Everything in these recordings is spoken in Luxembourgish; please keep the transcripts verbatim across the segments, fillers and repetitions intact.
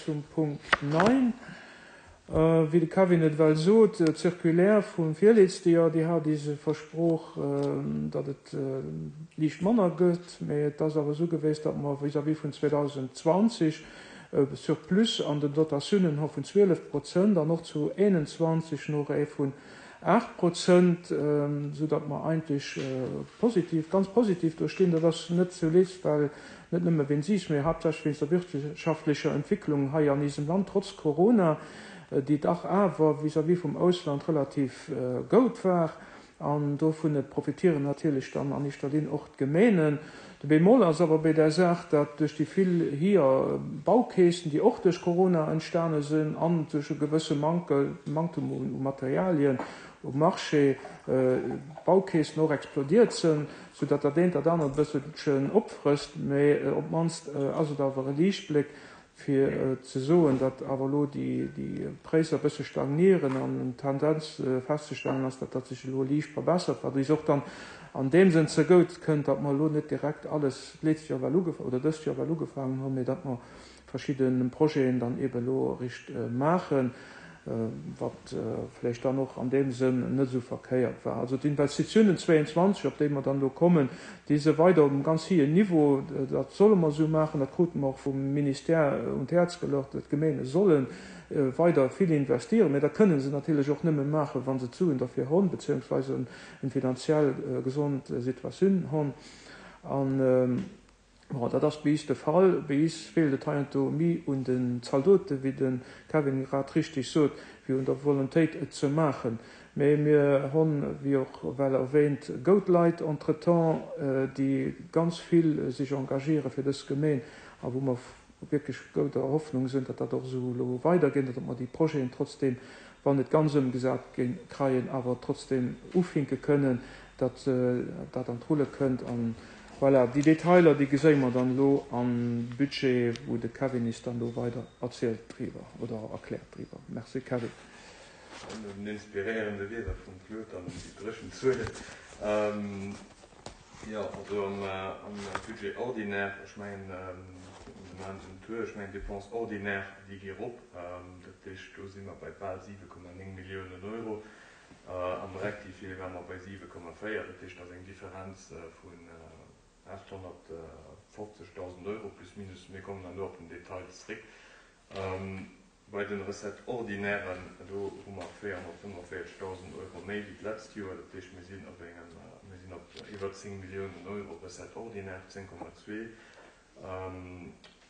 Zum Punkt neun. Wéi de Kevin et well sot, d'Circulaire vum virletzte Joer, déi hat is versproch, datt et liicht manner gëtt, mä et ass awer esou gewiescht, datt mer vis-à-vis vun zweedausendzwanzeg e Surplus an den Dotatiounen hu vun zwielef Prozent an och zu eenanzwanzeg nach ee vun aacht Prozent, soudatt mer eigentlech positiv, ganz positiv do stinn. Dat ass net zulescht, well net nëmme wéinst is, mä haaptsächlech wéinst der wirtschaftlecher Entwicklung hei an eisem Land, trotz Corona, déi dach awer vis-à-vis vum Ausland relativ goud war. An dovun profitieren natierlech dann an éischter Linn och d'Gemeenen. De Bémol ass awer bei där Saach, datt duerch déi vill hier Baukäschten, déi och duerch Corona entstane sinn an duerch e gewësse Mankel, Manktum u Materialien um Marché, d'Baukäschten och explodiert sinn, soudatt dat eent dat anert e bësselchen opfrësst. Mä op d'mannst ass et awer e Liichtbléck, fir ze soen, datt awer elo déi Präisser e bësse stagnieren an eng Tendenz festzestellen ass, datt dat sech elo liicht verbessert, wat eis och dann an deem Sënn zegout kënnt, datt mer elo net direkt alles d'lescht Joer well ugef-, oder dëst Joer well ugefaangen hunn, mee datt mer verschidde Projeten dann eeben elo eréischt maachen, wat vläicht dann och an deem Sënn net esou verkéiert war. Also d'Investitiounen zwéianzwanzeg, op déi mer dann elo kommen, déi si weider op engem ganz héijen Niveau. Dat solle mer esou maachen, dat krute mer och vum Ministère un d'Häerz geluecht, datt d'Gemeene solle weider vill investieren. Mä dat kënne se natierlech och nëmme maachen, wa se d'Suen derfir hunn, beziehungsweise eng finanziell gesond Situatioun hunn. An bon, dat ass bei is de Fall. Bei is feelt et heiansdo méi un den Zaldoten, wéi de Kevin grad richtig sot, wéi un der Volontéit et ze maachen. Mä mir hunn, wéi och well erwähnt, goud Leit entretemps, déi ganz vill sech engagiere fir dës Gemeen a wou mer wierklech gouder Hoffnung sinn, datt dat och esou elo weidergeet, datt mer déi Projeten trotzdem, wann net ganz ëmgesat ginn, kreien, awer trotzdem ufinke kënnen, datt dat an d'Rulle kënnt. An voilà, déi Detailer, déi geséie mer dann elo am Budget, wou de Kevin is dann elo weider erzielt driwwer oder erkläert driwwer. Merci, Kevin. No den inspiréierende Wierder vum Claude an déi dréchen Zuelen. Jo, also am Budget ordinaire, ech mengen, mir maachen den Tour, ech mengen d'Dépenses ordinaires, déi gi erop. Dat heescht, do si mer bei bal siwe Komma néng Milliounen Euro. Am Rectifié ware mer bei siwe Komma véier, dat heescht, dat ass eng Differenz vun aathonnertfofzegdausend Euro plus minus. Mir kommen dann elo op den Detail zréck. Bei den Recettes ordinairen, do hu mer véierhonnertfënnefenvéierzegdausend Euro méi wéi d'letzt Joer. Dat heescht, mir sinn op engem, mir sinn op iwwer zéng Milliounen Euro Recettes ordinaires, zéng Komma zwee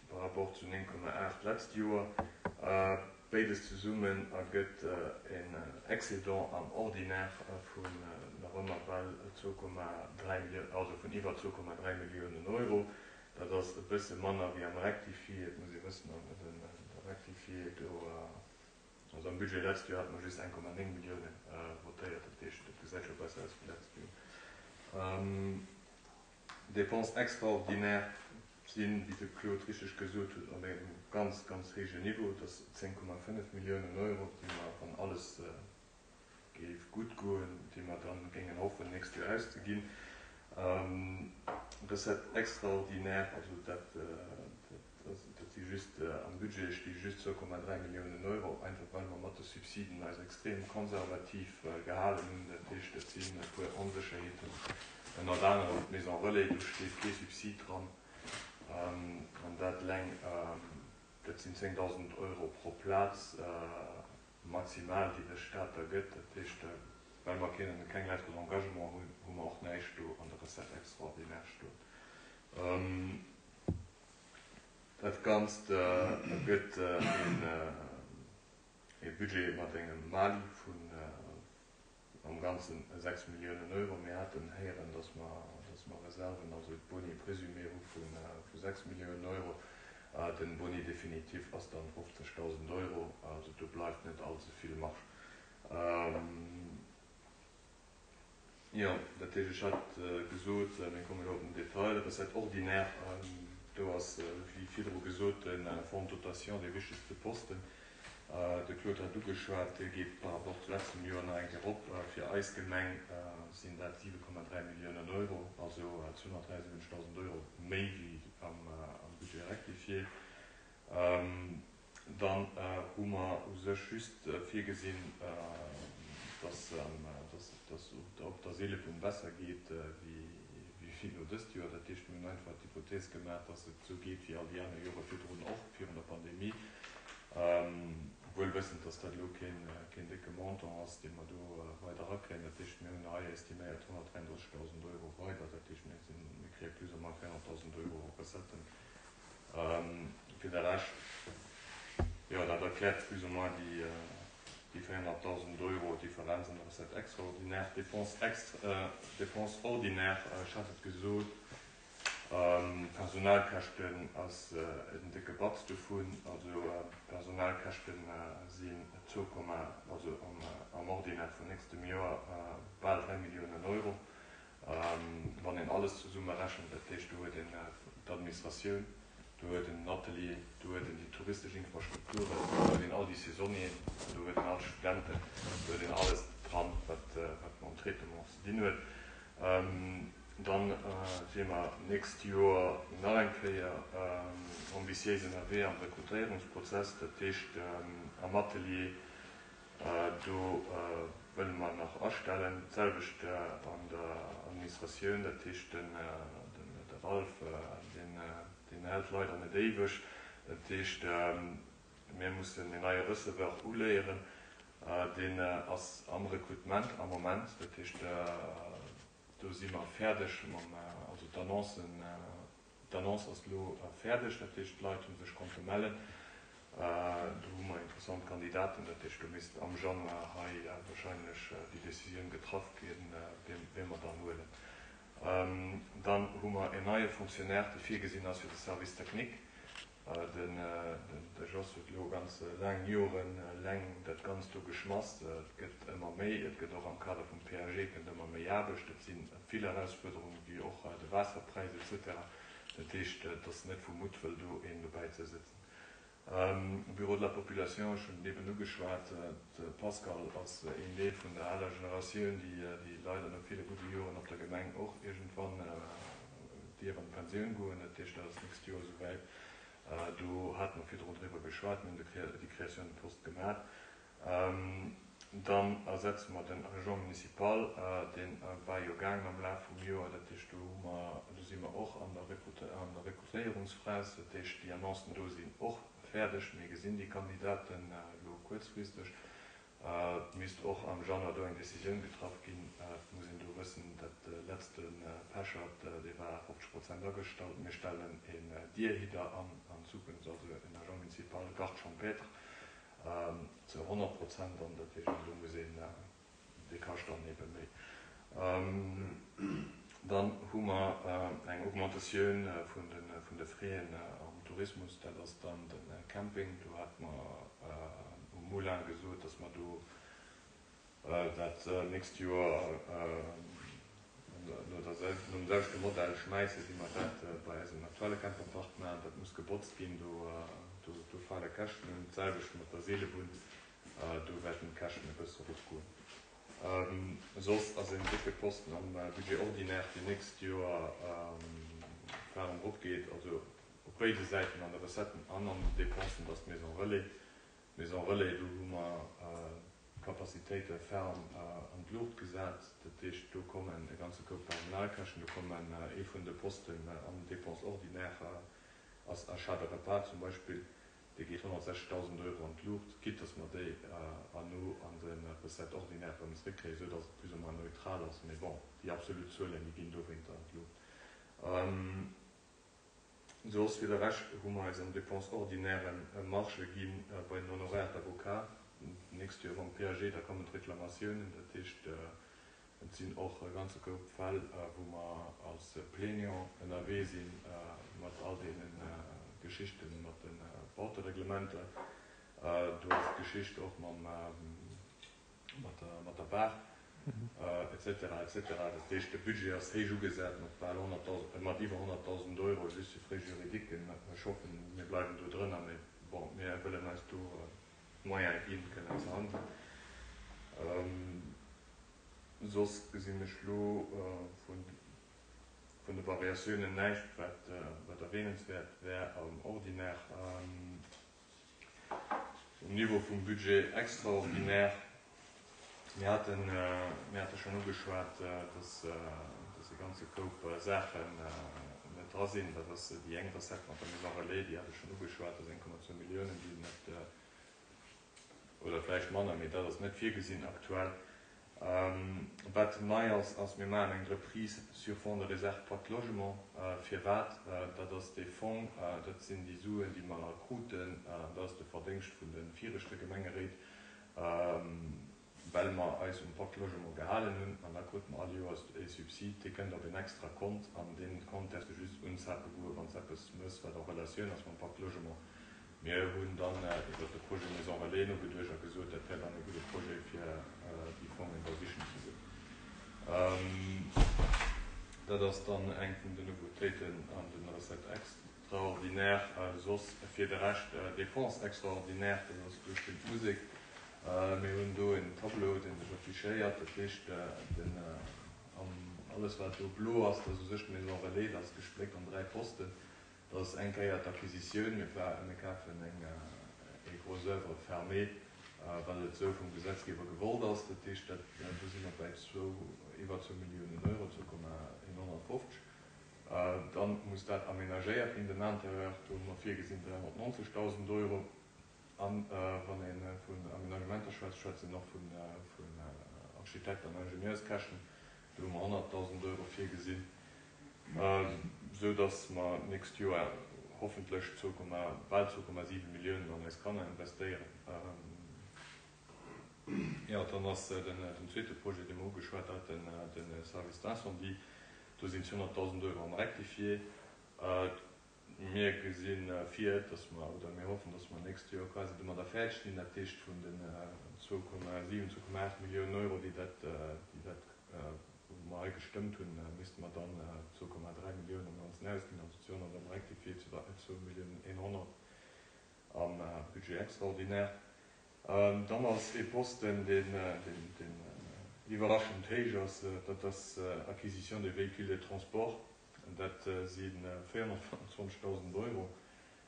par rapport zu néng Komma aacht d'letzt Joer. Béides zesummen ergëtt en Excédent am Ordinaire vun nach ëmmer bal zwou Komma dräi Milliounen, also vun iwwer zwou Komma dräi Milliounen Euro. Dat ass e bësse manner wéi am Rectifié. Et muss ee wëssen, de Rectifié do, also am Budget letzt Joer hate mer just eng Komma néng Millioune votéiert. Dat heescht, dat gesäit scho besser aus wéi letzt Joer. Dépenses extraordinaires sinn, wéi de Claude richteg gesot huet, op engem ganz, ganz héijen Niveau. Dat ass zéng Komma fënnef Milliounen Euro, déi mer, wann alles géif gutt goen, déi mer dann géingen hoffen, nächst Joer auszeginn. Recettes extraordinaires, also dat, dat si just, am Budget sti just zwou Komma dräi Milliounen Euro, einfach well mer mat de Subsiden eis extrem konservativ gehalen hunn. Dat heescht, et sinn e puer Onsécherheeten, ënnert anerem d'Maison Relais, do steet kee Subsid dran. An dat eleng, dat sinn zéngdausend Euro pro Plaz maximal, déi de Staat da gëtt. Dat heescht, well mer keng Lettre d'engagement hunn, hu mer och näischt do an der Recette extraordinaire stoen. Dat Ganzt ergëtt e Budget mat engem Mali vun am Ganzen sechs Milliounen Euro. Mir haten héieren, dass mer, dass mer Reserven, also d'Boni présumé hu vu sechs Milliounen Euro. Den Boni définitif ass dann fofzegdausend Euro, also do bleift net all ze vill Marge. Jo, dat heescht, ech hat gesot, mir kommen elo op den Detail, Recette ordinaire, do ass, wéi virdru gesot, de Fonds de dotation dee wichtegste Posten. De Claude hat ugeschwat, dee geet par rapport zu letztem Joer nach eng Kéier erop. Fir eis Gemeng sinn dat siwe Komma dräi Milliounen Euro, also zweehonnertdräiundsiwwenzegdausend Euro méi wéi am Budget rectifié. Dann hu mer u sech just virgesinn, dass dass op der Seelebunn besser geet wéi elo dëst Joer. Dat heescht, mir hunn einfach d'Hypothees gemaach, dass et esou geet wéi all déi aner Jore virdrun och, virun der Pandemie, wuel wëssend, dass dat elo keen décke Montant ass, dee mer do weider erakréien. Dat heescht, mir hunn hei estiméiert honnertdräianddrëssegdausend Euro weider. Dat heescht, mir sinn, mir kréie plus ou moins véierhonnertdausend Euro Recetten. Fir de Rescht, jo, dat erkläert plus ou moins déi véierhonnertdausend Euro Differenz an der Recette extraordinaire. Dépenses extra, Dépenses ordinaires, ech hat et gesot, Personalkäschten ass en décke Batz dovun. Also d'Personalkäschte sinn zwou Komma, also am Ordinaire vun nächstem Joer bal dräi Milliounen Euro, wann een alles zesummerechent. Dat heescht, do huet een d'Administratioun, do huet een den Atelier, do huet een déi touristesch Infrastrukturen, do huet een all déi Saisonnieren, do huet een all d'Studenten, do huet een alles dran, wat mam Traitement ze dinn huet. Dann si mer d'nächst Joer nach eng Kéier ambitiéis ënnerwee am Rekrutéierungsprozess. Dat heescht am Atelier, do wëlle mer nach astellen. D'selwecht an der Administratioun, dat heescht de Ralph, deen hält leider net éiweg. Dat heescht, mir mussen en neie Receveur uléieren. Deen ass am Rekrutement am Moment. Dat heescht, do si mer fäerdeg mam, also d'Annoncen, d'Annonce ass elo fäerdeg, dat heescht d'Leit hu sech konnte mellen. Do hu mer interessant Kandidaten, dat heescht do misst am Januar hei wahrscheinlech déi Décisioun getraff ginn, wee mer dann huelen. Dann hu mer en neie Fonctionnaire, dee virgesinn ass fir de Service technique. De Jos huet elo ganz laang Joren laang dat Ganzt do geschmass. Et gëtt ëmmer méi, et gëtt och am Kader vum P A G kënnt ëmmer méi Aarbecht. Et si vill Erausfuerderungen, wéi och de Waasserpräis et cetera. Dat heescht, et ass net vu Muttwëll do een dobäi ze sëtzen. Bureau de la population, ech hunn et eben ugeschwat, de Pascal ass een Deel vun der aler Generatioun, déi leider no ville gudde Joren op der Gemeng och iergendwann dierf an d'Pensioun goen. Dat heescht, dat ass d'nächst Joer esouwäit. Do hate mer virdrun driwwer geschwat, mir hunn déi Création de poste gemaach. Dann ersetze mer den Agent municipal, dee war jo gaangen am Laf vum Joer. Dat heescht, do hu mer, do si mer och an der Rekrutéierungsphas. Dat heescht, déi Annoncen do sinn och fäerdeg. Mir gesinn déi Kandidaten elo kuerzfristeg. Et misst och am Januar do eng Decisioun getraff ginn. Et muss een do wëssen, dat letzte Pechert, dee war fofzeg Prozent agestallt. Mir stellen een Dierhidder an an Zukunft, also en Agent municipal garde champêtre zu honnert Prozent an. Dat heescht, do muss een, dee kascht dann ebe méi. Dann hu mer eng Augmentatioun vun de Frais am Tourismus, dat ass dann de Camping. Do hate mer um Moulin gesot, dass mer do dat nächst Joer nom selwechte Modell schmäissen, wéi mer dat bei eisem aktuelle Camperpark maachen. Dat muss gebotzt ginn, do fale Käschten un. D'selwecht mat der Seelebunn, do wäerten d'Käschten e bësse eropgoen. Soss ass en décke Posten am Budget ordinaire déi nächst Joer ferm eropgeet, also op béide Säiten, an de Recetten an an den Dépensen, dat ass d'Maison Relais. D'Maison Relais, do hu mer d'Capacitéite ferm an d'Luucht gesat. Dat heescht, do kommen e ganze Koup Personalkäschten, do kommen ee vun de Posten an den Dépenses ordinaires ass Achat de repas zum Beispill, dee geet honnertsechzegdausend Euro an d'Luucht, quitte dass mer déi herno an de Recettes ordinaires erëm zréckkréien, esou dass et plus ou moins neutral ass. Mee bon, déi absolut Zuelen, déi ginn dowéinter an d'Luucht. Soss fir de Rescht hu mer eis an Dépenses ordinaires Marge gi bei den Honoraires d'avocat. D'nächst Joer mam P A G, da kommen d'Reklamatiounen. Dat heescht, et sinn och e ganze Koup Fäll, wou mer als Plaignant ënnerwee si mat all deene Geschichte mat de Bautereglementer. Do ass d'Geschicht och mam, mat der, mat der Baach, et cetera, et cetera. Dat heescht, de Budget ass héich ugesat mat bal honnertdausend, mat iwwer honnertdausend Euro just fir Frais juridiques. Ech hoffen, mir bleiwen do drënner, mee bon, mir wëllen eis do d'Moyene ginn, kënnen ze handelen. Soss gesinn ech lo vun, vun de Variatiounen näischt, wat, wat erwähnenswäert wär am Ordinaire. Um Niveau vum Budget extraordinaire, mir haten, mir hate schonn ugeschwat, dass, dass e ganze Koup Saachen net dra sinn. Dat ass déi eng Recette mat der Maison Relais, déi hat ech schonn ugeschwat, dat ass eng Komma zwou Milliounen, déi net, oder vläicht manner, mee dat ass net virgesinn aktuell. Wat nei ass, ass, mir maachen eng Reprise sur fonds de réserve Pacte Logement. Firwat? Dat ass dee Fong, dat sinn déi Suen, déi mer kruten, dat ass de Verdéngscht vun de viregte Gemengeréit, well mer eis um Pacte Logement gehalen hunn. An da krute mer all Joers e Subsid, dee kënnt op en extra Kont, an dee Kont däerfs de just unzape goen, wann s eppes mëss, wat en Relatioun ass mam Pacte Logement. Mir hunn dann iwwert de Projet Maison Relais nogeduecht a gesot, dat wär dann e gudde Projet, fir déi Fongen da sichen ze goen. Dat ass dann eng vun den Nouveautéiten an de Recettes extraordinaires. Soss fir de Rescht, Dépenses extraordinaires, dat ass, do spillt d'Musek. Mir hunn do en Tableau, dee sech affichéiert. Dat heescht, den, alles wat do blo ass, dat ass u sech d'Maison Relais, dat ass gespléckt an dräi Posten. Dat ass eng Kéier d'Acquisitioun, mir kafen eng gros oeuvre fermée, well et esou vum Gesetzgeber gewollt ass. Dat heescht, dat, do si mer bäi zwou, iwwer zwou Milliounen Euro, zwou Komma eenhonnertfofzeg. Dann muss dat aménagéiert ginn, den Intérieur, do hu mer virgesinn dräihonnertneunzegdausend Euro. An wann ee vun Aménagementer schwätzt, schwätzt een och vun Architekt an Ingenieurskäschten, do hu mer honnertdausend Euro virgesinn. Esou dass mer d'nächst Joer hoffentlech zwou Komma, bal zwou Komma siwe Milliounen an eis Kanner investéieren. Jo, dann ass den zweete Projet, dee mer ugeschwat haten, de Service d'incendie. Do sinn zweehonnertdausend Euro am Rectifié. Mir gesi vir, dass mer, oder mir hoffen, dass mer d'nächst Joer quasi domadder fäerdeg sinn. Dat heescht, vun den zwou Komma siwen, zwou Komma aacht Milliounen Euro, déi dat, déi dat, wou mer hei gestëmmt hunn, misste mer dann zwou Komma dräi Milliounen am Ganzen ausginn, also zweehonnert am Rectifié, zwou Milliounen eenhonnert am Budget extraordinaire. Dann ass ee Posten, deen iwwerraschend héich ass, dat ass Acquisition de véhicules de transport. Dat si véierhonnertfënnefenzwanzegdausend Euro.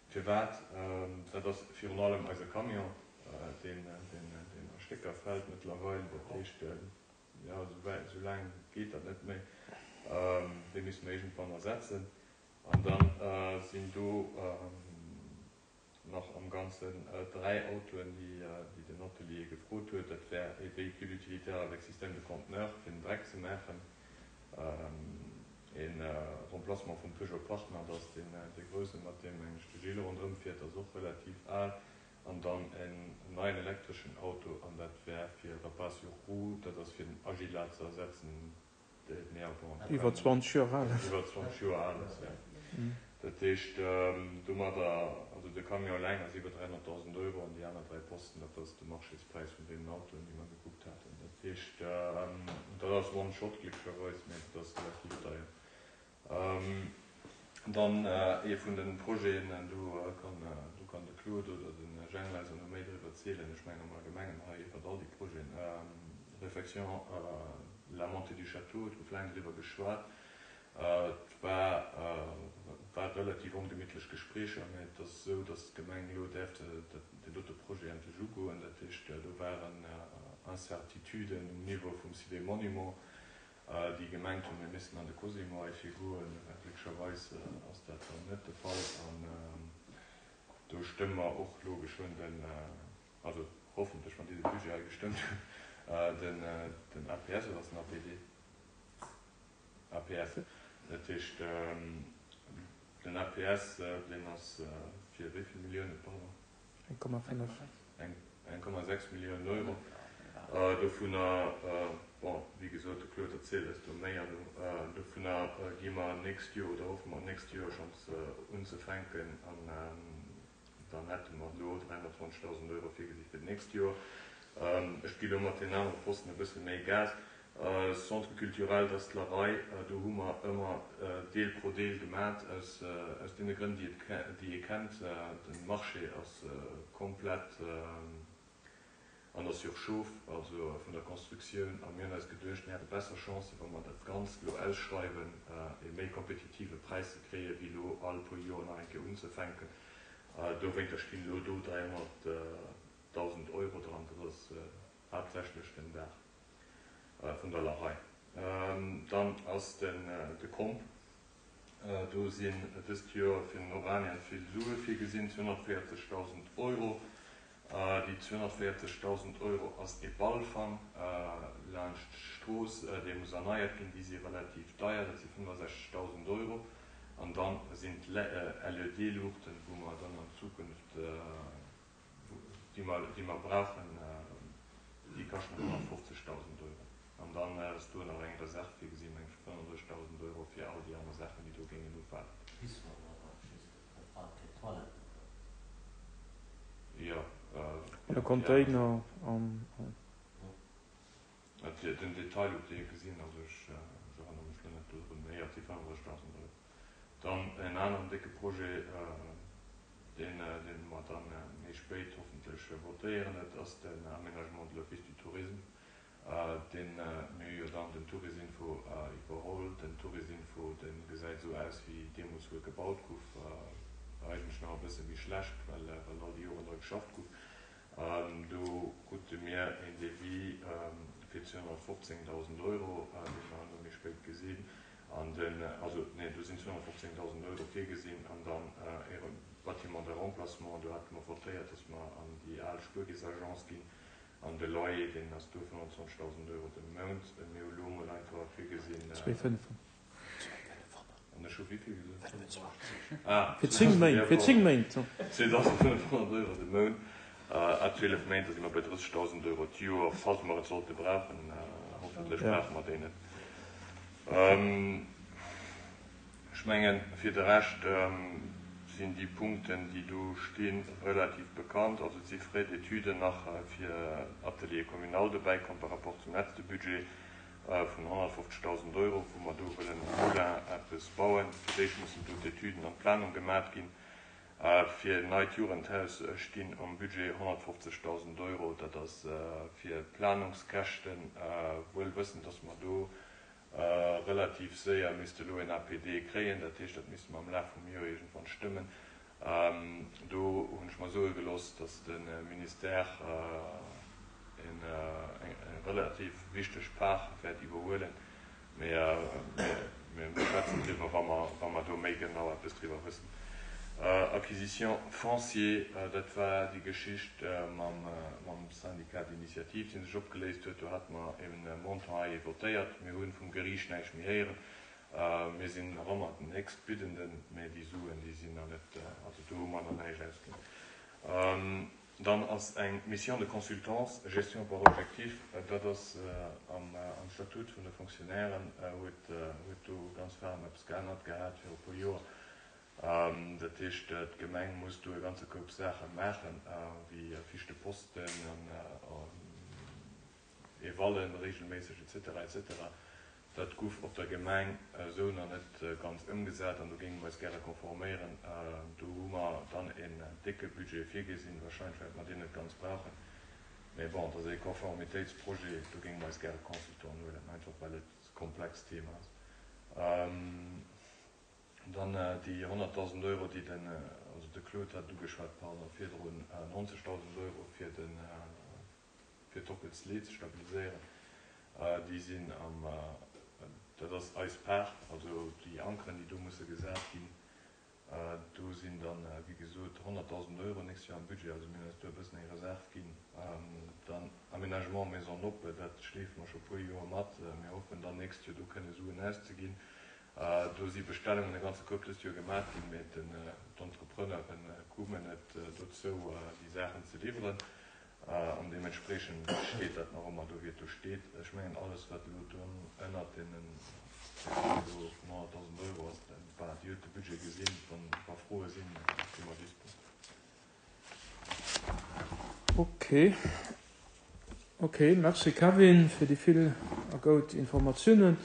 Firwat? Dat ass virun allem eise Camion, deen a Stécker fält mëttlerweil. Dat heescht, jo, esou laang geet dat net méi. Dee misste mer iergendwann ersetzen. An da sinn do nach am Ganzen dräi Autoen, déi den Atelier gefrot huet. Dat wär e Véhicule utilitaire avec système de conteneur, fir den Dreck ze maachen, e Remplacement vum Peugeot Partner, dat ass dee grousse, mat deem eng de Gilles ronderëm fiert, dat ass och relativ al, an dann en neien elektreschen Auto, an dat wär fir Repas sur roues, dat ass fir den Agila ze ersetzen, Iwwer zwanzeg Joer al ass. Iwwer zwanzeg Joer al ass, jo. Dat heescht, domadder, also de Camion eleng ass iwwer dräihonnertdausend Euro an déi aner dräi Posten, dat ass de Marchéspräis vun deenen Autoen, déi mer gekuckt haten. Dat heescht, dat ass one shot glécklecherweis, mä dat ass relativ deier. Dann ee vun de Projeten, do kann, do kann de Claude oder de Jhang eis och nach méi driwwer zielen, ech mengen am Allgemengen hei iwwert all déi Projeten, Réfection la montée du château, et gouf laang driwwer geschwat. Et war war relativ ongemittlech Gespréicher, mä et ass esou, datt d'Gemeng elo däerf deen dote Projet endlech ugoen. Dat heescht, do waren Incertituden um Niveau vum Site des Monuments, déi gemengt hunn, mir missten an de Cosimo heifir goen. Glécklecherweis ass dat dann net de Fall an do stëmme mer och elo geschwënn den, also hoffentlech, wann déi de Budget hei gestëmmt hunn, den den A P S oder ass den A P D? A P S. Dat heescht, den A P S, deen ass fir wéi vill Milliounen, pardon? eng Komma fënnef. eng Komma sechs Milliounen Euro. Dovunner, bon, wéi gesot, de Claude erzielt eis do méi herno, dovunner gi mer d'nächst Joer oder hoffe mer d'nächst Joer schonns unzefänken an dann hätte mer elo dräihonnertzwanzegdausend Euro virgesi fir d'nächst Joer. Ech gi lo mat deenen anere Posten e bësse méi Gas. Centre culturel, dat ass d'Larei. Do hu mer ëmmer Deel pro Deel gemat, aus deene Grënn, déi ee kennt. De Marché ass komplett an der Surchauffe, also vun der Constructioun. A mir hunn eis geduecht, mir hätte besser Chancen, wa mer dat Ganzt elo ausschreiwen, e méi kompetitive Präis ze kréien, wéi elo all puer Joer nach eng Kéier unzefänken. Dowéinter stinn elo do dräihonnertdausend. vun der Larei. Dann ass den de Komp, do sinn dëst Joer fir den Oranien vill Sue virgesinn, zweehonnertvéierzegdausend Euro. Déi zweehonnertvéierzegdausend Euro ass e Ballfang laanscht d'Strooss, dee muss erneiert ginn. Déi si relativ deier, dat si fënnefasechzegdausend Euro. An da sinn d'L E D-Luuchten, wou mer dann an Zukunft, déi mer, déi mer brauchen, déi kaschten honnertfofzegdausend Euro. An dann ass do nach eng Reserv virgesinn, meng ech, fënnfandrëssigdausend Euro fir all déi aner Saachen, déi do géingen ufalen. Pissoir oder just fir d'Toiletten? Jo. E Container an. Den Detail hutt Dir gesinn, also ech erënnere mech elo net dodrun, mee jo, et si fënnfandrëssigdausend Euro. Dann en aneren décke Projet, deen mer dann méi spéit hoffentlech votéieren, dat ass den Aménagement de l'Office du Tourisme, deen mir hu jo dann den Tourisinfo iwwerholl. Den Tourisinfo, dee gesäit esou aus, wéi deemools, wou e gebaut gouf, eigentlech nach e bësse méi schlecht, well all déi Joren dra geschafft gouf. Do krute mir een Devis fir zweehonnertfofzéngdausend Euro, dee mer elo méi spéit gesinn. An den, also nee, do sinn zweehonnertfofzéngdausend Euro virgesinn an dann e Bâtiment de remplacement, do hate mer votéiert, dass mer an déi al Spuerkeess-Agence ginn. An de Loyer, deen ass do fënnfundzwanzegdausend Euro de Mount. Mir hu lo mol einfach virgesinn. Zwee fënnef. An ech hu wéi vill gesot? Fënnfundzwanzeg. Ah, Fir zéng Méint, fir zéng Méint. zweedausendfënnfhonnert Euro de Mount à zwielef Méint, da si mer bei drëssegdausend Euro d'Joer, falls mer et sollte brauchen. Hoffentlech brauche mer déi net. Ech mengen, fir de Rescht sinn déi Punkten, déi do stinn, relativ bekannt. Also et si Frais d'études nach fir Atelier communal dobäi komm par rapport zum letzte Budget vun honnertfofzegdausend Euro, wou mer do wëllen um Moulin eppes bauen. Fir d'éischt mussen do d'Etüden an d'Planung gemat ginn. Fir neit Jugendhaus stinn am Budget honnertfofzegdausend Euro. Dat ass fir Planungskäschten, wuel wëssend, dass mer do relativ séier misste elo en A P D kréien. Dat heescht, dat misste mer am Laf vum Joer iergendwann stëmmen. Do hunn ech mer soe gelooss, dass de Ministère eng relativ wichteg Part wäert iwwerhuelen. Mee mir schwätzen driwwer, wa mer do méi genau eppes driwwer wëssen. Acquisition foncière, dat war déi Geschicht mam Syndicat d'initiative, dee sech opgeléist huet. Do hate mer e Montant hei votéiert. Mir hu vum Geriicht näischt méi héieren. Mir sinn nach ëmmer den Héchstbiddenden, mä déi Suen, déi sinn nach net, also do hu mer nach näischt ausginn. Dann ass eng Mission de consultance, gestion par objectif, dat ass am Statut vun de Fonctionnairen, huet do ganz ferm eppes geännert gehat viru e puer Joer. Dat heescht, d'Gemeng muss do e ganze Koup Saache maachen, wéi Fiche de posten an Evallen regelméisseg et cetera et cetera. Dat gouf op der Gemeng esou nach net ganz ëmgesat an do géinge mer eis gäre konforméieren. Do hu mer dann en décke Budget virgesinn. Wahrscheinlech wäerte mer deen net ganz brauchen, mä bon, et ass e Konformitéitsprojet, do géinge mer eis gäre Consultant huelen, einfach well et e komplext Thema ass. Dann déi honnertdausend Euro, déi den, also de Claude hat ugeschwat, pardon, virdrun, neunzegdausend Euro fir den, fir d'Ockels Le'h ze stabiliséieren, déi sinn am, dat ass eis Part, also déi Ankeren, déi do musse gesat ginn, do sinn dann, wéi gesot, honnertdausend Euro nächst Joer am Budget, also mir hunn eis do e bëssen eng Reserv ginn. Dann Aménagement Maison Noppe, dat schleefe mer scho puer Joer mat. Mir hoffen dann nächst Joer do kënne Suen auszeginn. Do si Bestellungen e ganze Koup dëst Joer gemaach ginn, mee d'Entrepreneure kommen net dozou, déi Saachen ze liwweren. An deementspreechend steet dat nach ëmmer do, wéi et do steet. Ech mengen, alles, wat elo do ënnert deenen do vun honnertdausend Euro ass, voilà, Dir hutt de Budget gesinn. Wa Froe sinn, si mer dispo. Ok. Ok, merci Kevin fir déi vill a goud Informatiounen.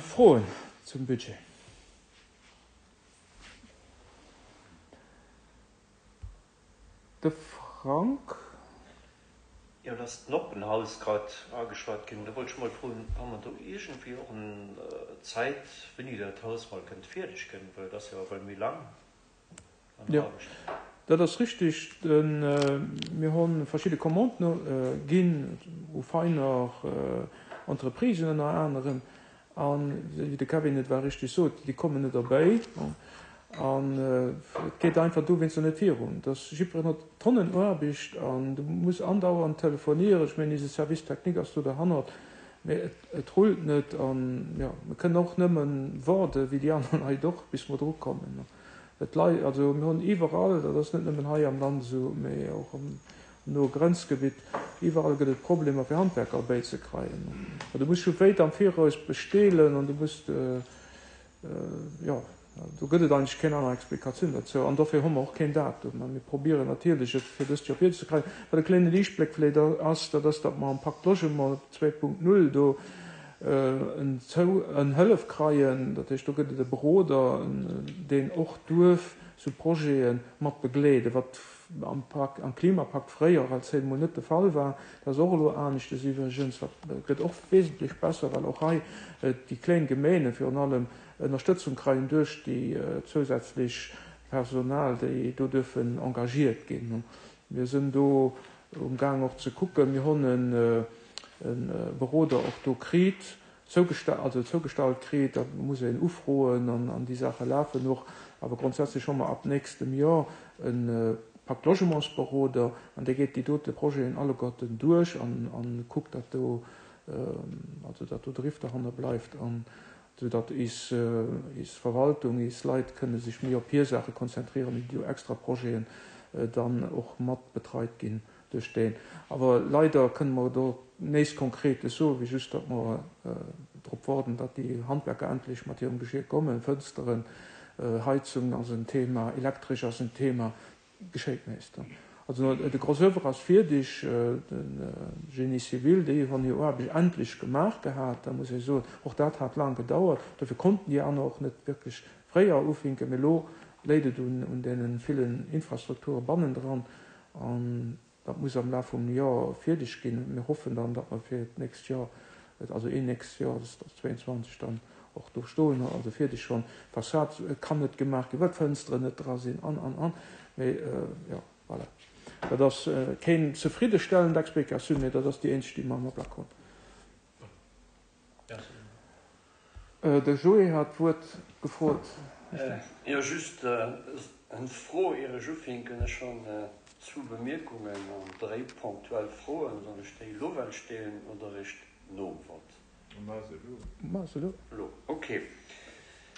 Froen zum Budget? De Frank. Jo, et ass d'Noppenhaus grad ageschwat ginn. Do wollt ech mol froen, Hu mer do iergendwéi och en Zäit, wéini dat Haus mol kënnt fierdeg ginn? Well et ass jo ewell méi laang an Jo, Aarbecht. Dat ass richtig. Mir hu verschidde Commanden ginn u feiner Entreprisen ënner anerem. An, wéi de Kevin et war richtig sot, déi kommen net erbäi. An et geet einfach dowéinster net virun. Dass jiddwereen huet Tonnen Aarbecht an du muss andauernd telefonieren. Ech mengen, eise Service technique ass do derhannert, mee et rullt net. An, jo, mir kënnen och nëmme waarde wéi déi aner Leit och, bis mer drukommen. Et lei, also mir hunn iwwerall, dat ass net nëmmen hei am Land esou, mee och am noe Grenzgebitt, iwwerall gëtt et Problemer fir Handwerker erbäizekreien. Du muss scho wéit am Viraus bestelen an du muss, jo, do gëtt et eigentlech keng aner Explikatioun dozou an dofir hu mer och keen Datum. Mä mir probieren natierlech et fir dëst Joer virzekreien. Wat e kléine Liichtbléck vläicht ass, dat ass, datt mer am Pacte Logement zwee Punkt null do en Hëllef kreien. Dat heescht, do gëtt et e Beroder, deen och duerf sou Projete mat begleeden, wat am Pak, am Klimapakt fréier als emol net de Fall war. Dat ass och elo aneschtes iwwregens. Dat gëtt och wesentlech besser, well och hei déi kléng Gemeene virun allem Ënnerstëtzung kreien duerch déi zousätzlech Personal, déi do duerfen engagiert ginn. Mir sinn do um Gaang och ze kucken. Mir hunn e Beroder och do kritt, also zougestallt kritt. Da muss een ufroen an déi Saache lafen och. Awer grondsätzlech hu mer ab nächstem Joer e Pacte Logementsberoder an dee geet déi dote Projeten alleguerten duerch an kuckt, datt do, also datt do Driff derhanner bleift an sou datt is, is Verwaltung, is Leit kënne sech méi op hir Saache konzentrieren, déi do extra Projeten dann och mat betreit ginn duerch deen. Awer leider kënne mer do näischt Konkretes soen, wéi just, datt mer drop waarden, datt déi Handwerker endlech mat hirem Geschier kommen. Fënsteren, Heizung ass en Thema, Elektresch ass en Thema, geschéit näischt. Also de Gros oeuvre ass fierdeg, de Génie civil, déi hunn hir Aarbecht endlech gemaach gehat, da muss ee soen, och dat hat laang gedauert, dofir konnten déi aner och net wierklech fréier ufinken, mee elo léit et un deene villen Infrastrukture bannendran an dat muss am Laf vum Joer fierdeg ginn. Mir hoffen dann, datt mer fir d'nächst Joer, also een nächst Joer, dat ass zwéianzwanzeg, dann och do stoen, also fierdeg schonn. D'Fassad kann net gemaach ginn, well d'Fënsteren net dra sinn an, an, an. Mee jo, voilà. Dat ass keng zefriddestellend Explikatioun, mee dat ass déi eenzeg, déi mer am Ablack hunn. De Joé hat d'Wuert gefrot. Jo, just eng Fro, ier ech ufänken. Ech hunn zwou Bemierkungen an dréi ponktuell Froen. Soll ech déi elo well stellen oder eréischt nom Vott? Maach se elo. Maach se elo. Elo, okay.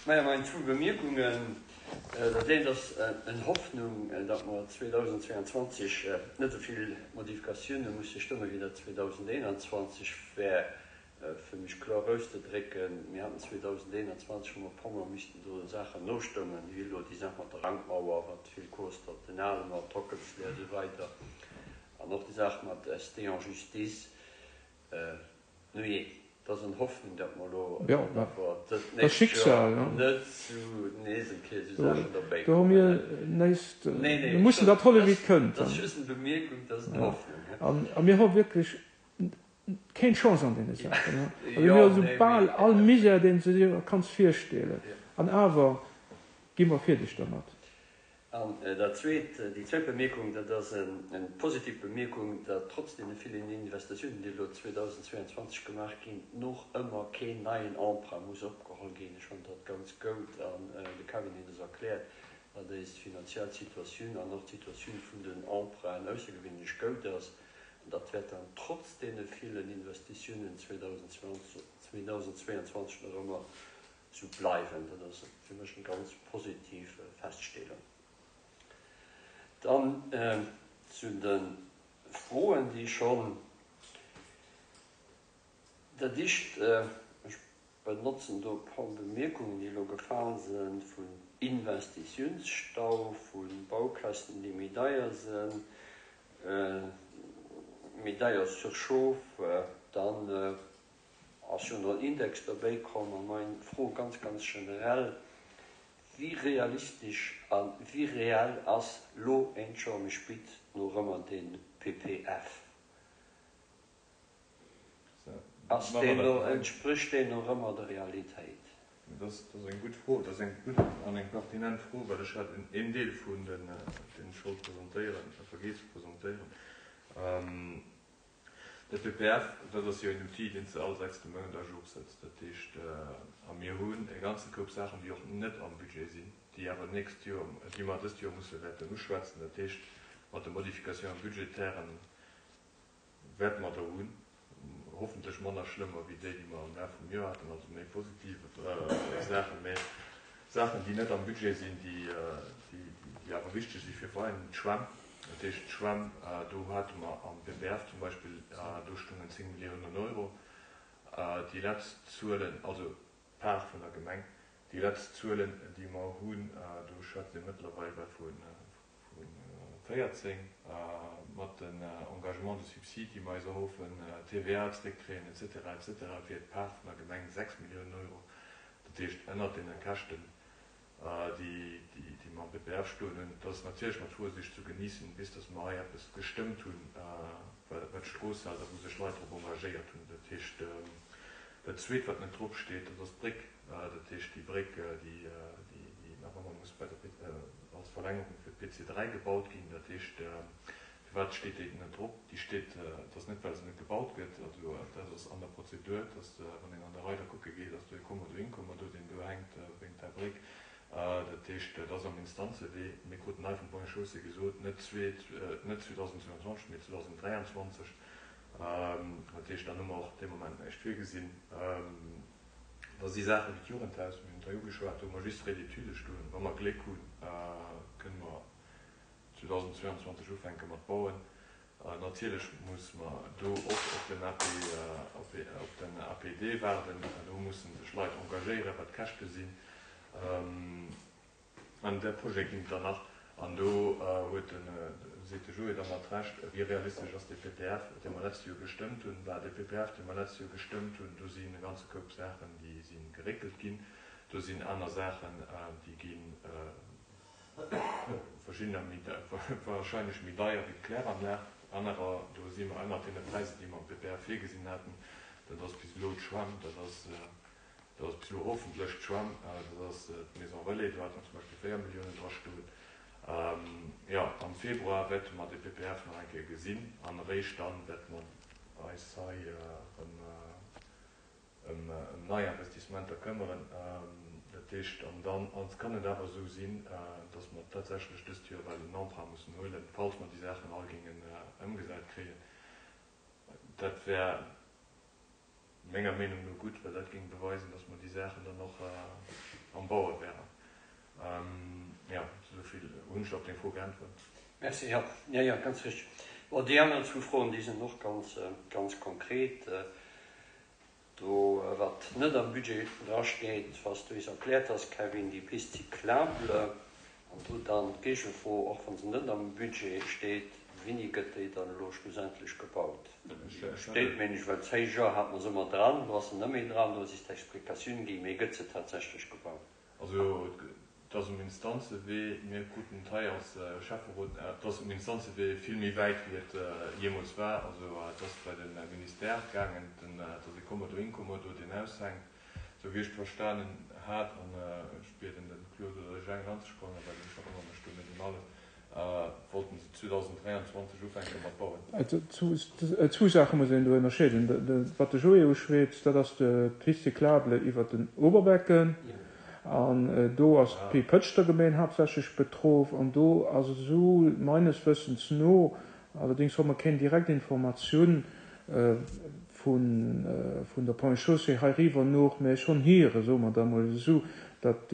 Maja, meng zwou Bemierkungen. Dat eent ass en Hoffnung, datt mer zweedausendzwéianzwanzeg net esou vill Modifikatioune musse stëmme wéi dat zweedausendeenanzwanzeg war. Fir mech kloer auszedrécken, mir haten zweedausendeenanzwanzeg, hu mer e puermol missten do Saachen nostëmmen, wéi elo déi Saach mat der Rankmauer, wat vill kost hat, den Alemer, d'Hockelsleer a sou weider, an och déi Saach mat S D en justice. Nujee, et ass en Hoffnung, datt mer elo awer dat nächst Joer net zu nees eng Kéier esou Saachen derbäi Do hu kommen. mir näischt, Nee, mir nee, mussen dat huelen, wéi et kënnt. dat ass just eng Bemierkung, dat ass eng Hoffnung. An a mir hu wierklech keng Chance an deene Saachen. Also Jo, mir hu sou nee, bal mee. all Misär, deen s de dir kanns virstellen. An awer gi mer fierdeg dermat. An dat Zweet, déi zweet Bemierkung, dat ass eng positiv Bemierkung, datt trotz deene villen Investitiounen, déi elo zweedausendzwéianzwanzeg gemaach ginn, noch ëmmer keen neien Emprunt muss opgeholl ginn. Ech fannen dat ganz goud an de Kevin huet es erkläert, datt eis finanziell Situatioun an och d'Situatioun vun den Emprunten aussergewéinlech goud ass. An dat wäert dann trotz deene villen Investitiounen zweedausendzwéianzwanzeg nach ëmmer esou bleiwen. Dat ass fir mech eng ganz positiv Feststellung. Dann zu de Froen, déi schonn dat Éischt, ech benotzen do e puer Bemierkungen, déi elo gefall sinn, vun Investitiounsstau, vu Baukäschten, déi méi deier sinn, méi deier Surchauffe, dann ass jo nach en Index derbäi komm. A meng Fro ganz, ganz generell, Wéi realistesch a wéi reell ass lo eent Joer méi spit no rëmmer dee P P F? Ass deen no, entsprécht deen no rëmmer der Realitéit? Dat ass eng gutt Fro. Dat ass eng gutt an eng pertinent Fro, well ech hat een Deel vun den, deen ech wollt presentéieren, vergiess ze presentéieren. De P P F, dat ass jo en Outil, deen s de all sechste Mount à jour sëtz. Dat heescht, a mir hunn e ganze Koup Saachen, déi och net am Budget sinn, déi awer nächst Joer, déi mer dëst Joer musse wäerten uschwätzen. Dat heescht, mat de Modification budgétairen wäerte mer der hunn, hoffentlech manner schlëmmer wéi déi, déi mer am Laf vum Joer haten, also méi positiv Saachen, mä Saachen, déi net am Budget sinn, déi, déi, déi awer wichteg si fir Veräin, d'Schwämm. Dat heescht, d'Schwämm, do hate mer am P P F zum Beispill, do stungen zéng Milliounen Euro. Déi letzt Zuelen, also Part vun der Gemeng, déi letzt Zuelen, déi mer hunn, do schwätzt ee mëttlerweil vu véierzéng, mat den Engagement de subside, déi mer eis erhoffen, T V A zréckkréien et cetera et cetera, fir d'Part vun der Gemeng sechs Milliounen Euro. Dat heescht, ënnert deene Käschten, déi déi mer am P P F stoen hunn. Dat ass natierlech mat Vorsicht zu genießen, bis dass mer hei eppes gestëmmt hunn, wat d'Strooss hält a wou sech Leit drop engagéiert hunn. Dat heescht, dat Zweet, wat net drop steet, dat ass d'Bréck. Dat heescht, déi Bréck, déi déi nach ëmmer muss bei der als Verlängerung fir d'P C dräi gebaut ginn. Dat heescht, firwat steet déi net drop? Déi steet, dat ass net, well se net gebaut gëtt, also dat ass an der Prozedur, dass, wann een an der Rei da kucke geet, ass do e Kommodo, Inkommodo, deen do hänkt wéint der Bréck. Dat heescht, dat ass am Instanzewee. Mir kruten hei vum Ponts et Chaussées gesot, net zwee, net zweedausendzwouanzwanzeg, mee zweedausenddräianzwanzeg. Dat heescht, dann hu mer och dee Moment näischt virgesinn. Da si Saache wéi d'Jugendhaus, mir hunn et hei ugeschwat, do hu mer just Frais d'études stoen. Wa mer Gléck hunn, kënne mer zweedausendzwouanzwanzeg ufänke mat bauen. Natierlech muss mer do och op den A P, op den A P D waarden. Do musse sech Leit engagéieren, wat d'Käschte sinn. An där Projet ginn et der nach. An do huet den, seet de Joé da mat Recht, wéi realistesch ass dee P P F, dee mer letzt Joer gestëmmt hunn? Bah, dee P P F, dee mer letzt Joer gestëmmt hunn, do sinn e ganze Koup Saachen, déi si geréckelt ginn. Do sinn aner Saachen, déi ginn verschiddener méi, wahrscheinlech méi deier wéi d'Kläranlag. Anerer, do si mer ënnert deene Präisser, déi mer am P P F virgesinn haten. Dat ass bis elo d'Schwämm, dat ass, dat ass bis elo hoffentlech d'Schwämm, dat ass d'Maison Relais, do hate mer zum Beispill véier Milliounen drastoen. Jo, am Februar wäerte mer de P P F nach eng Kéier gesinn an eréischt dann wäerte mer eis hei erëm ëm nei Investissementer këmmeren. Dat heescht, an dann kann et awer esou sinn, dass mer tatsächlech dëst Joer well en Emprunt mussen huelen, falls mer déi Saachen all géingen ëmgesat kréien. Dat wär menger Meenung no gutt, well dat géing beweisen, dass mer déi Saachen dann och am Baue wären. Jo, esou vill. Hunn ech op deng Fro geäntwert? Merci, jo, jo, jo, ganz richteg. Bon, déi aner zwou Froen, déi sinn och ganz, ganz konkret. Do, wat net am Budget drasteet, wat s du eis erkläert has, Kevin, déi Piste cyclable, an do dann d'Géigefro, och wa se net am Budget steet, wéini gëtt déi dann elo schlussendlech gebaut? Steet, mengen ech, well zéi Joer hat mer se ëmmer dran, elo ass se net méi dran, do ass eis d'Explikatioun ginn, mee gëtt se tatsächlech gebaut? Also et ass um Instanzewee, mir kruten et hei als Schäfferot, et ass um Instanzewee vill méi wäit wéi et jeemools war. Also et ass bei de Ministère gaangen, et ass e Kommodo Inkommodo, deen aushänkt, esou wéi ech et verstanen hat, an ech bieden de Claude oder de Jang anzesprangen, well ech erënnere mech do net un alles, wollten se zweedausenddräianzwanzeg ufänke mat bauen. Zwou Saache muss een do ënnerscheeden. Wat de Joé uschwätzt, dat ass d'Piste cyclable iwwer den Oberbecken. An do ass d'Pëtschter Gemeng haaptsächlech betroff. An do ass et esou, meines Wëssens no, allerdéngs hu mer keng direkt Informatioun vun vun der Ponts et Chaussées heiriwwer no, mä ech hunn héieren, soe mer da mol esou, datt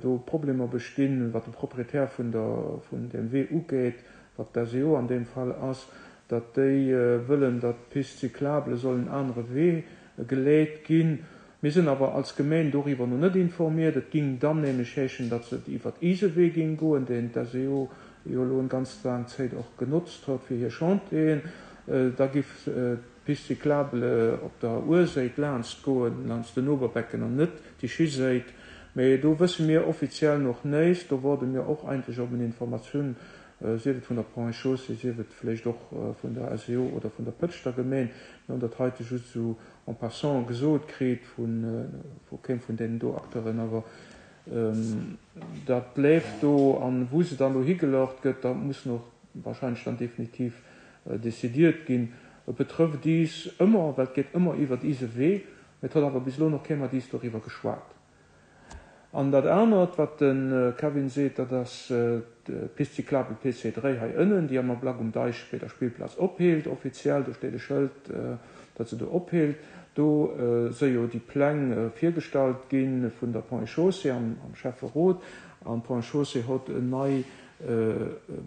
do Problemer bestinn, wat de Proprietär vun der vun deem Wee ugeet, wat d'S E O an deem Fall ass, datt déi wëllen, datt d'Piste cyclable soll en anere Wee geleet ginn. Mir sinn awer als Gemeng doriwwer nach net informiert. Et géing dann nämlech heeschen, datt se iwwer Isewee géing goen, deen d'S E O jo elo eng ganz laang Zäit och genotzt huet fir hir Chantieren. Da giff d'Piste cyclable op der Urséit laanscht goen, laanscht den Oberbecken an net déi Schiséit. Mee do wësse mir offiziell nach näischt. Do woarde mir och eigentlech op eng Informatioun Sief et vun der Ponts et Chaussées, sief et vläicht och vun der S E O oder vun der Pëtschter Gemeen. Mir hunn dat heite just esou en passant gesot kritt vu keem vun deenen do Acteuren, awer dat bléift do. An wou se dann elo higelaucht gëtt, dat muss nach wahrscheinlech dann definitiv décidiert ginn. Et betrëfft is ëmmer, well et geet ëmmer iwwert ise Wee, mee et huet awer bis elo nach kee mat is doriwwer geschwat. An dat anert, wat de Kevin seet, dat ass d'Piste cyclable P C dräi hei ënnen, déi am Ablack um Deich bei der Spillplaz opheelt, offiziell, do steet e Schëld, dat se do opheelt. Do si jo déi Pläng virgestallt ginn vun der Ponts et Chaussées am Schäfferot. An d'Ponts et Chaussées huet eng nei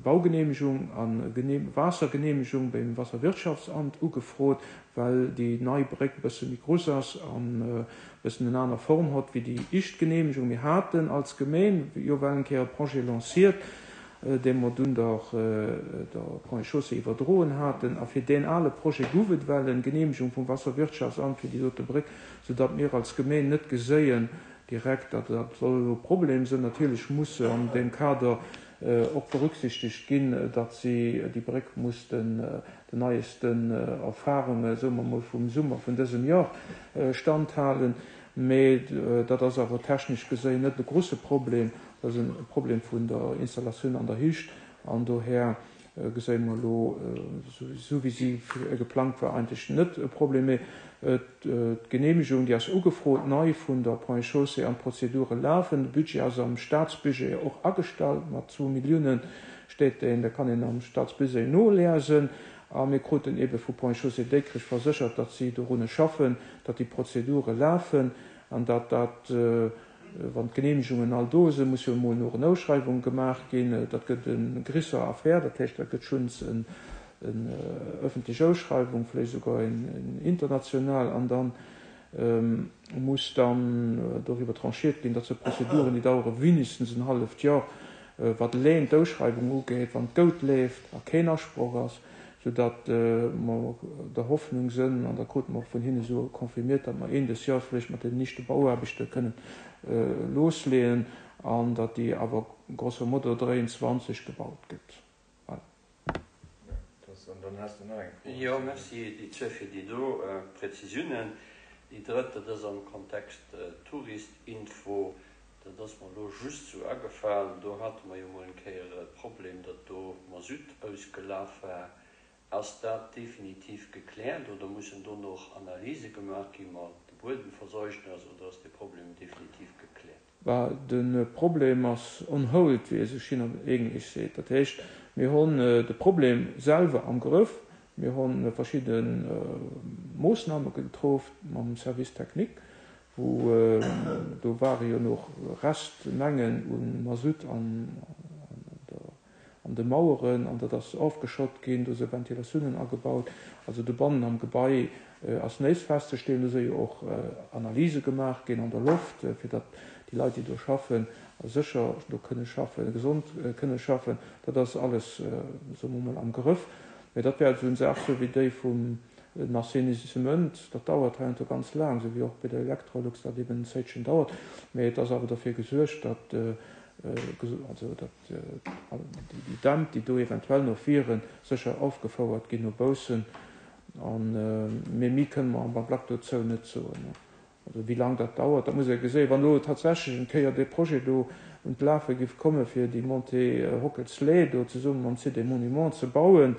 Baugenehmigung an Waassergenehmigung beim Wasserwirtschaftsamt ugefrot, well déi nei Bréck e bësse méi grouss ass an e bëssen eng aner Form huet wéi déi éischt Genehmigung. Mir haten als Gemeen jo well eng Kéier e Projet lanciert, dee mer dunn der, der Ponts et Chaussées iwwerdroen haten. A fir deen ale Projet gouf et well eng Genehmigung vum Wasserwirtschaftsamt fir déi dote Bréck, soudatt mir als Gemeen net geséien direkt, datt dat soll e Problem sinn. Natierlech muss an deem Kader och berücksichtigt ginn, datt si déi Bréck muss den, den neiesten Erfahrungen, soe mer mol, vum Summer vun dësem Joer standhalen. Mee dat ass awer technesch gesehen net e grosse Problem. Dat ass e Problem vun der Installatioun an der Hücht. An doher geséie mer elo, sou wéi si geplangt war, eigentlech net e Problem. Mee d'Genehmigung, déi ass ugefrot, nei vun der Ponts et Chaussées an d'Prozedure lafen. De Budget ass am Staatsbudget och agestallt, mat zwou Milliounen steet deen, da kann een am Staatsbudget nolesen. A mir kruten ebe vu Ponts et Chaussées Dikrech verséchert, datt si dorunner schaffen, datt déi Prozedure lafen an datt dat, wann d'Genehmigungen all do sinn, muss jo emol noch eng Ausschreibung gemaach ginn. Dat gëtt eng gréisser Affär, dat heescht, dat gëtt schonns eng, eng öffentlich Ausschreibung, vielleicht sogar eng international, an dann, ähm, muss dann darüber tranchiert ginn, datt se Prozeduren, déi dauere wenigstens ein halbes Jahr, äh, wat allein d'Ausschreibung ugeht, wann d'Gout leeft a keen Asproch ass, sodatt, äh, mer der Hoffnung sinn, an da kruten mer och vun hinne so konfirmiert, datt mer een des Jahres vielleicht mat den nächsten Bauaarbechte kënnen, äh, loslegen, an datt déi awer grosso modo dräiundzwanzeg gebaut gëtt. Voilà. Ja, das, an dann hast du noch eng Fro. Ja, merci, déi zwee fir déi do, äh, Präzisiounen. Déi drëtte, dat ass am Kontext, äh, Touristinfo, dat ass mer lo just so agefallen. Do hate mer jo mol eng Kéier e Problem, datt do Masutt ausgelaf war. Ass dat definitiv gekläert oder mussen do noch Analyse gemaach ginn mat de Buedenverzeugnis, oder ass de Problem definitiv gekläert? Bah, de Problem ass on hold, wéi e sech hin an Englisch seet. Dat heescht, mir hunn, äh, de Problem selwer am Grëff, mir hunn verschiedene, äh, Moossname getroffen mam Service technique, wo, äh, do ware jo noch Restmengen un Masutt an, an der, an de Maueren, an dat ass aufgeschott ginn, do si Ventilatiounen agebaut, also de Bannen am Gebai, äh, ass nees festzestellen, do si jo och, äh, Analyse gemaach ginn an der Loft, äh, fir datt déi Leit, déi do schaffen, sécher do kënne schaffen, gesond, äh, kënne schaffen. Dat ass alles, äh, soe mer mol, am Grëff. Mee dat wär so eng Saach, so wéi déi vum Assainissement, dat dauert heiansdo ganz laang, so wéi och bei der Electrolux, dat eben en Zäitchen dauert. Mee et ass awer dofir gesuergt, datt, äh, äh, also, datt, äh, déi, déi Dämp, déi do eventuell noch wieren, sécher aufgefouert ginn no baussen. An, äh, mee mi kënne mer am Ablack dozou net soen, ne? Also wéi lang dat dauert, dat muss ee gesehen. Wann lo tatsächlich eng Kéier de Projet do un d'Lafe giff komme fir déi Montée, äh, Hockelslee do zesumme mam Site des Monuments ze bauen,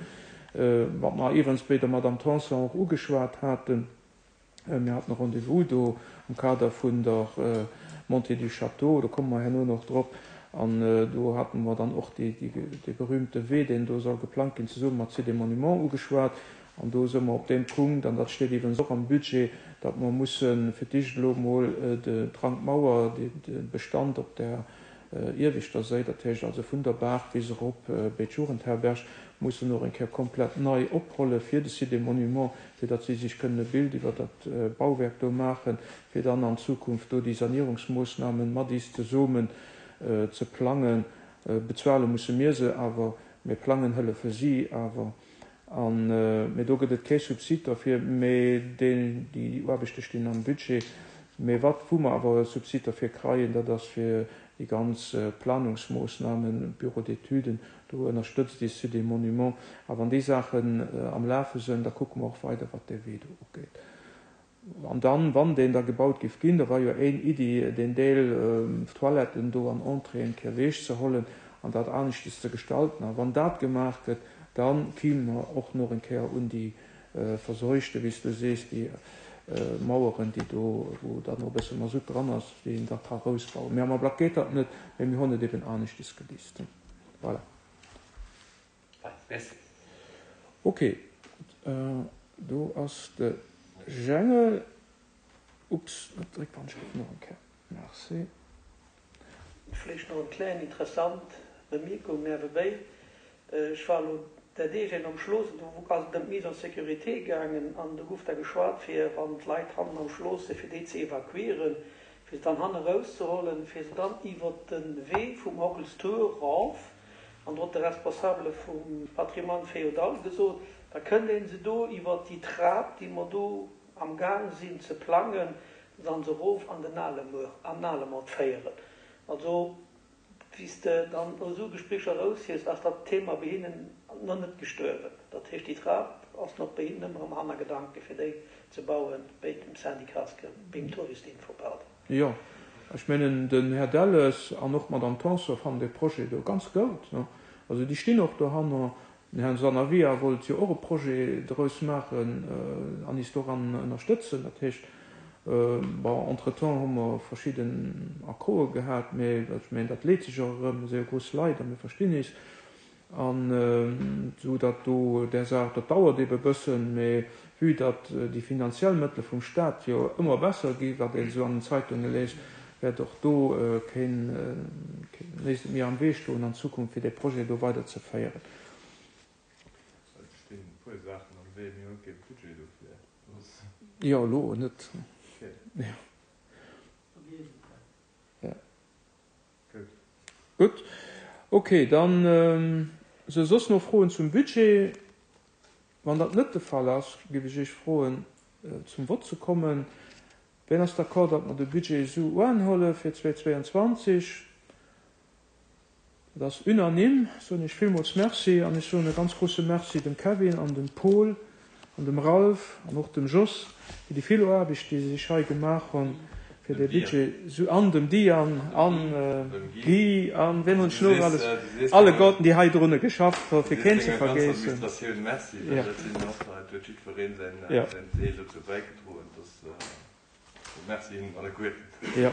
äh, wat mer iwwens bei der Madame Tanson och ugeschwat haten. Äh, mir haten Rendez-vous do am Kader vun der, äh, Montée du Château, do komme mer herno noch drop. An, äh, do haten mer dann och déi, déi, dee berühmte Wee, deen do soll geplant ginn, zesumme mat Site des Monuments ugeschwat. An do si mer op deem Punkt, an dat steet iwwens och am Budget, datt mer mussen fir d'éischt elo mol, äh, de Trankmauer, de, de Bestand op der, äh, Ieweschter Säit, dat heescht also vun der Baach bis erop, äh, bei d'Jugendherberg, mussen noch eng Kéier komplett nei oprolle fir de Site des Monuments, fir datt si sech kënnen e Bild iwwer dat, äh, Bauwerk do maachen, fir dann an Zukunft do déi Sanierungsmoossnamen mat is zesummen, äh, ze plangen. Äh, bezuele musse mir se, awer mir plangen hëllefe si awer. An, äh, mee do gëtt et kee Subsid dafür, mee déi, déi Aarbechte stinn am Budget. Mee wat wou mer awer e Subsid dafür kreien, dat ass fir déi ganz, äh, Planungsmoossnamen, Bureau d'études, Do ënnerstëtzt déi Site des Monuments. A wann déi Saachen am Lafe sënn, da kucke mer och weider, wat dee Wee do ugeet. An dann, wann deen da gebaut géif ginn, da war jo éin Iddi, deen Deel Toiletten do an Entrée eng Kéier ewech ze hollen an dat aneschtes ze gestalten. A wann dat gemaach gëtt, da kiime mer och nach eng Kéier un déi verseuchte, wéi s du sees, déi Maueren, déi do, wou dann och e bësse Masutt dran ass, déi een da ka rousbauen. Mee am Ablack geet dat net, mee mir hunn et eben aneschtes geliest. Voilà. Merci. Ok, do ass de Jengel. Ups, dréck d'Handschrëft nach eng Kéier. Merci. Vläicht nach eng kleng interessant Bemierkung niewebéi, Ech war elo där Deeg een am Schloss an do ass et ëm d'Mise en sécurité gaangen an do gouf da geschwat fir, wann d'Leit hannen am Schloss sinn, fir déi ze evakuieren, fir se dann hanne rauszehollen, fir se dann iwwert de Wee vum Ockels Tour eraf, an do huet de Responsabele vum Patrimoine féodal gesot, da kënnt ee se do iwwert déi Trap, déi mer do am Gaang sinn ze plangen, dann se erof an den Alemuer, an den Alemort féieren. Also, wéi s de dann no esou Gesprécher eraushies, ass dat Thema bei hinnen nach net gestuerwen. Dat heescht, déi Trap ass nach bei hinnen ëmmer am Hannergedanke fir déi ze bauen, béi dem Syndicatsge, beim Touristinfo, pardon. Jo, ech mengen, den Här Delles an och d'Madame Tanson fannen dee Projet do ganz goud. Also déi stinn och dohanner. Den Här Sanavia wollt jo och e Projet draus maachen an is doran ënnerstëtzen. Dat heescht, bon, entretemps hu mer verschidden Accorde gehat, mä ech mengen, dat leet sech och erëm. Mir si jo grouss Leit a mir verstinn is. An esou datt do där Saach, dat dauert ebe bëssen, mä vue datt déi finanziell Mëttele vum Stat jo ëmmer besser gi, wat een esou an den Zeitunge léist, wäert och do keen näischt méi am Wee stoen an Zukunft, fir dee Projet do weiderzeféieren. Et stinn e puer Saachen am Wee, mir hu kee Budget dofir. Jo, elo net. Gutt. Ok, dann si soss nach Froen zum Budget? Wann dat net de Fall ass, géif ech Iech froen, zum Vott ze kommen. Wien ass d'accord, datt mer de Budget esou uanhuele fir zweitausendzweiundzwanzeg? Dat ass unanime. Soen Iech villmools Merci an ech soen e ganz grouse Merci dem Kevin an dem Paul an dem Ralph an och dem Jos fir déi vill Aarbecht, déi se sech hei gemaach hunn, fir dee Budget esou, an dem Diane an Guy an wien hunn ech nach alles, alleguerten, déi hei drunne geschafft hunn, fir keen ze vergeessen. Jo.